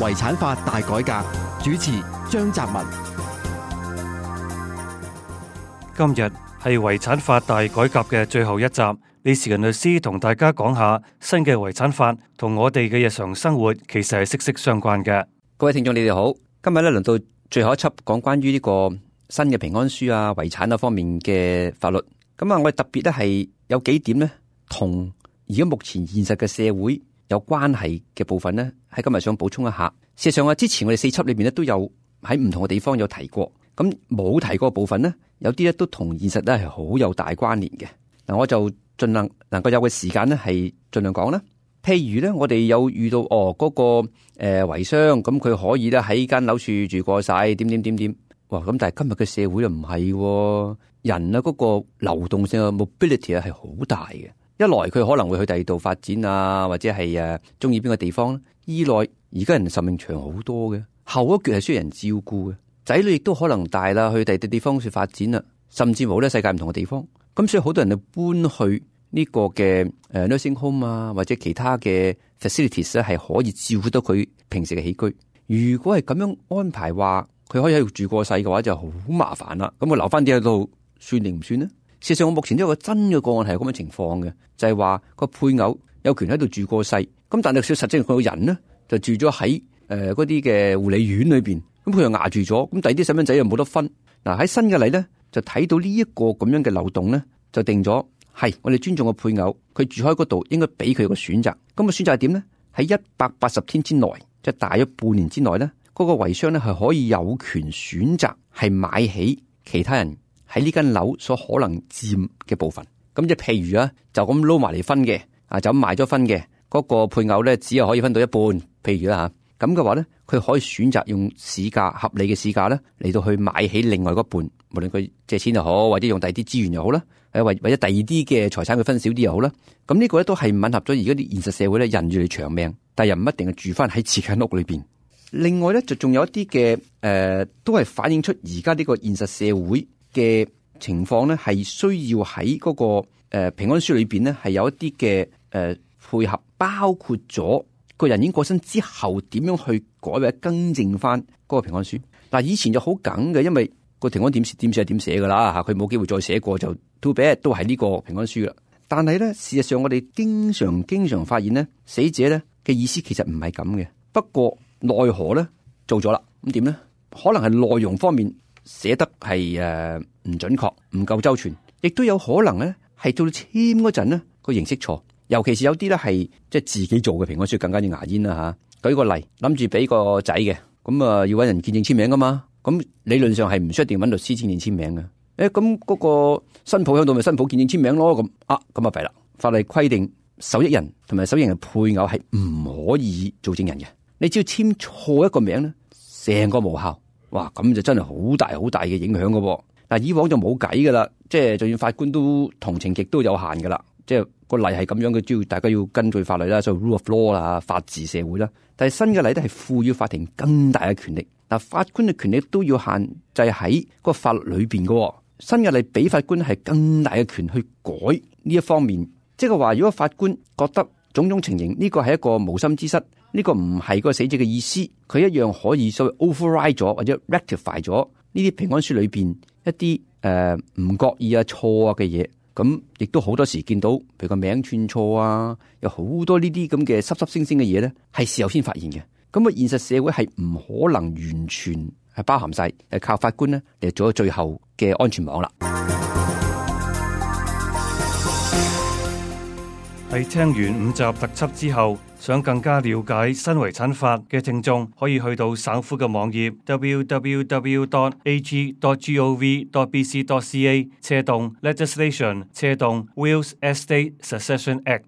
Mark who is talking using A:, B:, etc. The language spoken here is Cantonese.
A: 遺產法大改革，主持張澤文。
B: 今日係遺產法大改革嘅最後一集，李時仁律師同大家講下新嘅遺產法同我哋嘅日常生活其實係息息相關嘅。
C: 各位聽眾你哋好，今日咧輪到最後一輯講關於呢個新嘅平安書啊、遺產啊方面嘅法律。咁啊，我哋特別咧係有幾點咧同而家目前現實嘅社會有關係嘅部分咧，喺今日想補充一下。事實上啊，之前我哋4輯裏邊咧都有喺唔同嘅地方有提過，咁冇提過嘅部分咧，有啲咧都同現實咧係好有大關聯嘅。嗱，我就盡量能夠有嘅時間咧係盡量講啦。譬如咧，我哋有遇到嗰個遺孀，咁佢可以咧喺間樓處住過晒，點。哇！咁但係今日嘅社會又唔係，人啊嗰個流動性嘅 mobility 啊係好大嘅。一來佢可能會去第二度發展啊，或者係中意邊個地方；二來而家人壽命長好多嘅，後一橛係需要人照顧嘅，仔女亦都可能大啦，去第二啲地方去發展啦，甚至乎咧世界唔同嘅地方。咁所以好多人就搬去呢個嘅nursing home 啊，或者其他嘅 facilities 咧，係可以照顧到佢平時嘅起居。如果係咁樣安排話，佢可以喺度住過世嘅話，就好麻煩啦。咁我留翻啲喺度算定唔算呢？事實上，我目前都有個真嘅個案係咁嘅情況嘅，就係話個配偶有權喺度住過世，咁但係實際佢個人呢就住咗喺嗰啲嘅護理院裏邊，咁佢又壓住咗，咁第二啲細蚊仔又冇得分。嗱，喺新嘅例咧，就睇到呢一個咁樣嘅漏洞咧，就定咗係我哋尊重個配偶，佢住喺嗰度應該俾佢個選擇。咁個選擇係點咧？喺180天之內，即係大約半年之內咧，嗰個遺孀咧係可以有權選擇係買起其他人喺呢間樓所可能佔嘅部分。咁即係譬如啊，就咁撈埋嚟分嘅，就咁賣咗分嘅嗰個配偶咧，只係可以分到一半。譬如啦嚇，咁嘅話咧，佢可以選擇用市價合理嘅市價咧嚟到去買起另外嗰半，無論佢借錢又好，或者用第二啲資源又好啦，或者第二啲嘅財產佢分少啲又好啦。咁呢個咧都係吻合咗而家啲現實社會咧，人越嚟長命，但係又唔一定係住翻喺自己間屋裏邊。另外咧，就仲有一啲嘅都係反映出而家呢個現實社會嘅情況咧，係需要喺嗰個平安書裏邊咧，係有一啲嘅配合，包括咗個人已經過身之後點樣去改或者更正翻嗰個平安書。嗱，以前就好梗嘅，因為個平安點係點寫噶啦嚇，佢冇機會再寫過就 too bad，都係呢個平安書啦。但係咧，事實上我哋經常發現咧，死者咧嘅意思其實唔係咁嘅。不過奈何咧做咗啦，咁點咧？可能係內容方面寫得係唔準確、唔夠周全，亦都有可能咧係到簽嗰陣咧個形式錯，尤其是有啲咧係即係自己做嘅平安書更加之牙煙啦嚇。舉個例，諗住俾個仔嘅，咁要揾人見證簽名噶嘛，咁理論上係唔需要一定揾律師見證簽名嘅。咁嗰個新抱喺度咪新抱見證簽名咯，咁咁弊啦。法例規定受益人同埋受益人嘅配偶係唔可以做證人嘅。你只要簽錯一個名咧，成個無效，哇！咁就真係好大嘅影響噶。但以往就冇計噶啦，即係就算法官都同情極都有限噶啦。即係個例係咁樣嘅，只要大家要根據法律啦，所以 rule of law 啦，法治社會啦。但係新嘅例咧係賦予法庭更大嘅權力。嗱，法官嘅權力都要限制喺個法律裏邊噶。新嘅例俾法官係更大嘅權去改呢一方面，即係話如果法官覺得種種情形呢個係一個無心之失。呢個唔係個死者嘅意思，佢一樣可以所謂 override 咗或者 rectify 咗呢啲平安書裏邊一啲唔覺意啊錯啊嘅嘢，咁亦都好多時見到，譬如個名串錯啊，有好多呢啲咁嘅濕濕星星嘅嘢咧，係事後先發現嘅。咁啊，現實社會係唔可能完全係包含晒，係靠法官咧嚟做咗最後嘅安全網啦。
B: 喺聽完5集特輯之後，想更加了解新遺產法嘅聽眾，可以去到省府嘅網頁 www.ag.gov.bc.ca/legislation/Wills Estate Succession Act